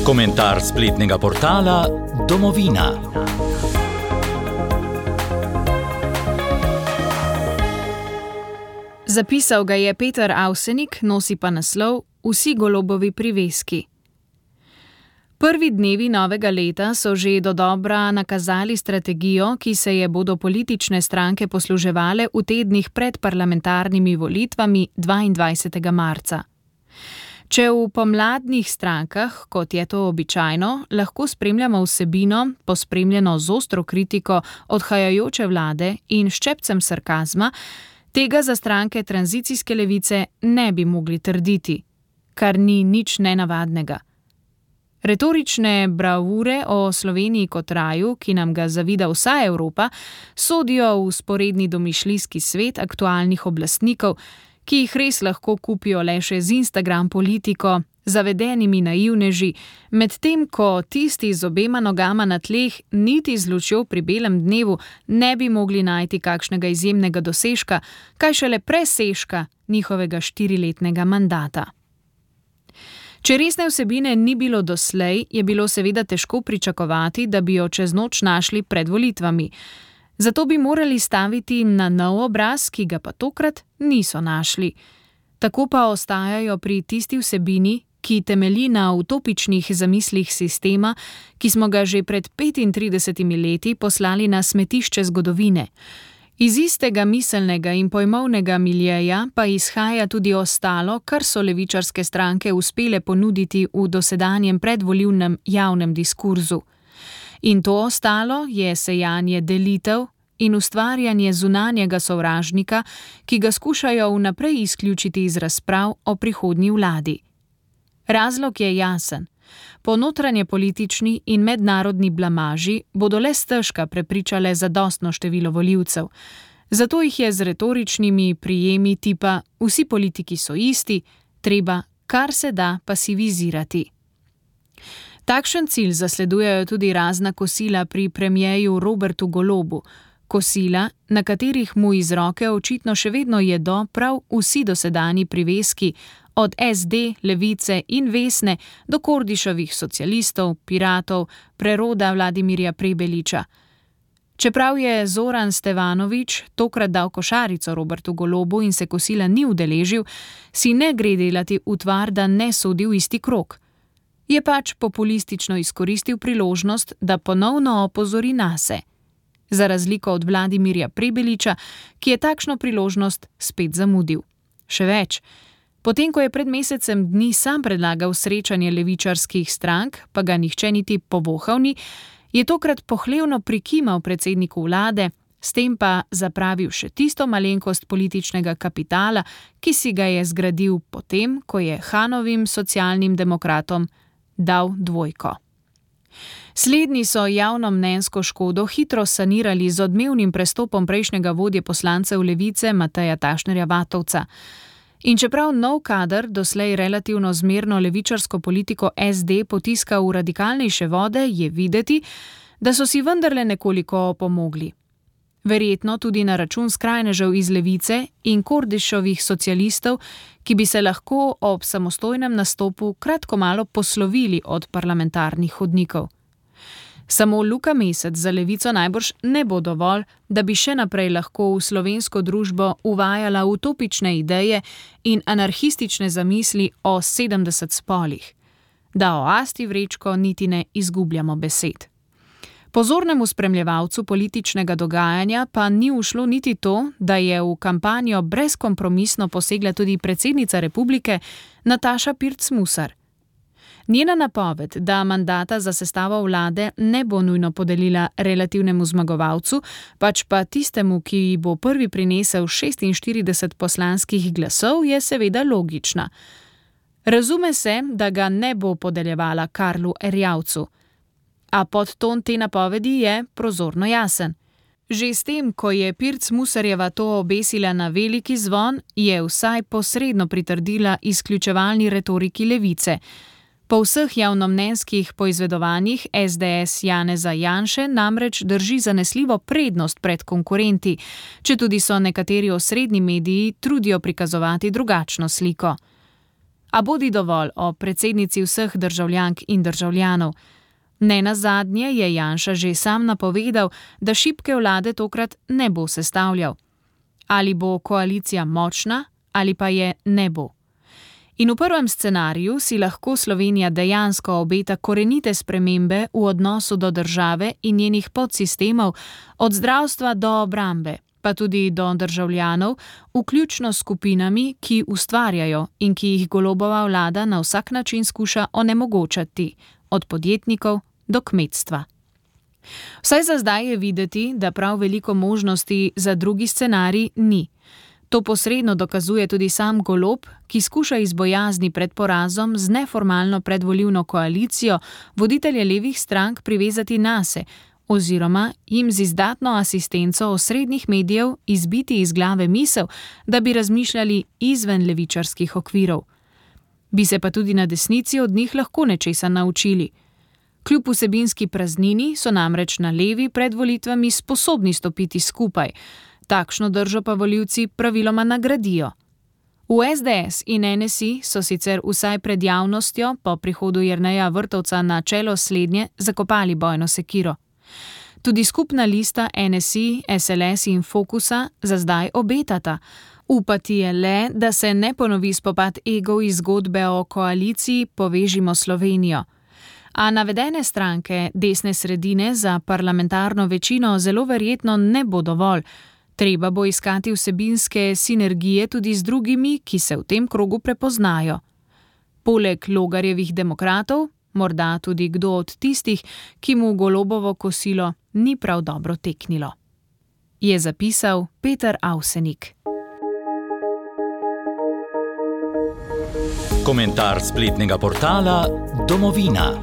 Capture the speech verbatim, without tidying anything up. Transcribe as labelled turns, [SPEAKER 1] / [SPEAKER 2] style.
[SPEAKER 1] Komentar spletnega portala Domovina.
[SPEAKER 2] Zapisal ga je Peter Avsenik, nosi pa naslov Vsi golobovi priveski. Prvi dnevi novega leta so že dodobra nakazali strategijo, ki se je bodo politične stranke posluževale v tednih pred parlamentarnimi volitvami dvaindvajsetega marca. Če v pomladnih strankah, kot je to običajno, lahko spremljamo vsebino, pospremljeno z ostro kritiko odhajajoče vlade in ščepcem sarkazma, tega za stranke tranzicijske levice ne bi mogli trditi, kar ni nič nenavadnega. Retorične bravure o Sloveniji kot raju, ki nam ga zavida vsa Evropa, sodijo v sporedni domišljijski svet aktualnih oblastnikov, ki jih res lahko kupijo le še z Instagram politiko, zavedenimi naivneži, medtem ko tisti z obema nogama na tleh niti z lučjo pri belem dnevu ne bi mogli najti kakšnega izjemnega dosežka, kaj šele presežka njihovega štiriletnega mandata. Če resne vsebine ni bilo doslej, je bilo seveda težko pričakovati, da bi jo čez noč našli pred volitvami. Zato bi morali staviti na nov obraz, ki ga pa tokrat niso našli. Tako pa ostajajo pri tisti vsebini, ki temelji na utopičnih zamislih sistema, ki smo ga že pred petintridesetimi leti poslali na smetišče zgodovine. Iz istega miselnega in pojmovnega miljeja pa izhaja tudi ostalo, kar so levičarske stranke uspele ponuditi v dosedanjem predvolilnem javnem diskurzu. In to ostalo je sejanje delitev in ustvarjanje zunanjega sovražnika, ki ga skušajo vnaprej izključiti iz razprav o prihodnji vladi. Razlog je jasen. Po notranjepolitični in mednarodni blamaži bodo le stežka prepričale zadostno število volivcev. Zato jih je z retoričnimi prijemi tipa vsi politiki so isti, treba kar se da pasivizirati. Takšen cilj zasledujejo tudi razna kosila pri premierju Robertu Golobu. Kosila, na katerih mu iz roke očitno še vedno jedo prav vsi dosedanji priveski, od es de, Levice in Vesne do Kordišovih socialistov, piratov, preroda Vladimirja Prebeliča. Čeprav je Zoran Stevanović tokrat dal košarico Robertu Golobu in se kosila ni udeležil, si ne gre delati utvar, da ne sodi v isti krog. Je pač populistično izkoristil priložnost, da ponovno opozori nase. Za razliko od Vladimirja Prebeliča, ki je takšno priložnost spet zamudil. Še več, potem ko je pred mesecem dni sam predlagal srečanje levičarskih strank, pa ga nihče niti povohal ni, je tokrat pohlevno prikimal predsedniku vlade, s tem pa zapravil še tisto malenkost političnega kapitala, ki si ga je zgradil potem, ko je Hanovim socialnim demokratom dal dvojko. Slednji so javnomnenjsko škodo hitro sanirali z odmevnim prestopom prejšnjega vodje poslancev Levice Mateja Tašnerja Vatovca. In čeprav nov kader doslej relativno zmerno levičarsko politiko es de potiska v radikalnejše vode, je videti, da so si vendarle nekoliko opomogli. Verjetno tudi na račun skrajnežev iz Levice in Kordišovih socialistov, ki bi se lahko ob samostojnem nastopu kratko malo poslovili od parlamentarnih hodnikov. Samo Luka Mesec za Levico najbrž ne bo dovolj, da bi še naprej lahko v slovensko družbo uvajala utopične ideje in anarhistične zamisli o sedemdeset spolih. Da o Asti Vrečko niti ne izgubljamo besed. Pozornemu spremljevalcu političnega dogajanja pa ni ušlo niti to, da je v kampanjo brezkompromisno posegla tudi predsednica republike Nataša Pirc Musar. Njena napoved, da mandata za sestavo vlade ne bo nujno podelila relativnemu zmagovalcu, pač pa tistemu, ki ji bo prvi prinesel šestinštirideset poslanskih glasov, je seveda logična. Razume se, da ga ne bo podeljevala Karlu Erjavcu. A podton te napovedi je prozorno jasen. Že s tem, ko je Pirc Musarjeva to obesila na veliki zvon, je vsaj posredno pritrdila izključevalni retoriki Levice. Po vseh javnomnenjskih poizvedovanjih es de es Janeza Janše namreč drži zanesljivo prednost pred konkurenti, četudi so nekateri osrednji mediji trudijo prikazovati drugačno sliko. A bodi dovolj o predsednici vseh državljank in državljanov. Nenazadnje je Janša že sam napovedal, da šibke vlade tokrat ne bo sestavljal. Ali bo koalicija močna, ali pa je ne bo. In v prvem scenariju si lahko Slovenija dejansko obeta korenite spremembe v odnosu do države in njenih podsistemov, od zdravstva do obrambe, pa tudi do državljanov, vključno s skupinami, ki ustvarjajo in ki jih Golobova vlada na vsak način skuša onemogočati, od podjetnikov do kmetstva. Vsaj za zdaj je videti, da prav veliko možnosti za drugi scenarij ni. To posredno dokazuje tudi sam Golob, ki skuša iz bojazni pred porazom z neformalno predvolilno koalicijo voditelje levih strank privezati nase, oziroma jim z izdatno asistenco osrednjih medijev izbiti iz glave misel, da bi razmišljali izven levičarskih okvirov. Bi se pa tudi na desnici od njih lahko nečesa naučili. Kljub vsebinski praznini so namreč na levi pred volitvami sposobni stopiti skupaj, takšno držo pa volivci praviloma nagradijo. V es de es in en es i so sicer vsaj pred javnostjo po prihodu Jerneja Vrtovca na čelo slednje zakopali bojno sekiro. Tudi skupna lista en es i, es el es in Fokusa za zdaj obetata. Upati je le, da se ne ponovi spopad egov iz zgodbe o koaliciji Povežimo Slovenijo. A navedene stranke desne sredine za parlamentarno večino zelo verjetno ne bo dovolj. Treba bo iskati vsebinske sinergije tudi z drugimi, ki se v tem krogu prepoznajo. Poleg Logarjevih demokratov, morda tudi kdo od tistih, ki mu Golobovo kosilo ni prav dobro teknilo. Je zapisal Peter Avsenik.
[SPEAKER 1] Komentar spletnega portala Domovina.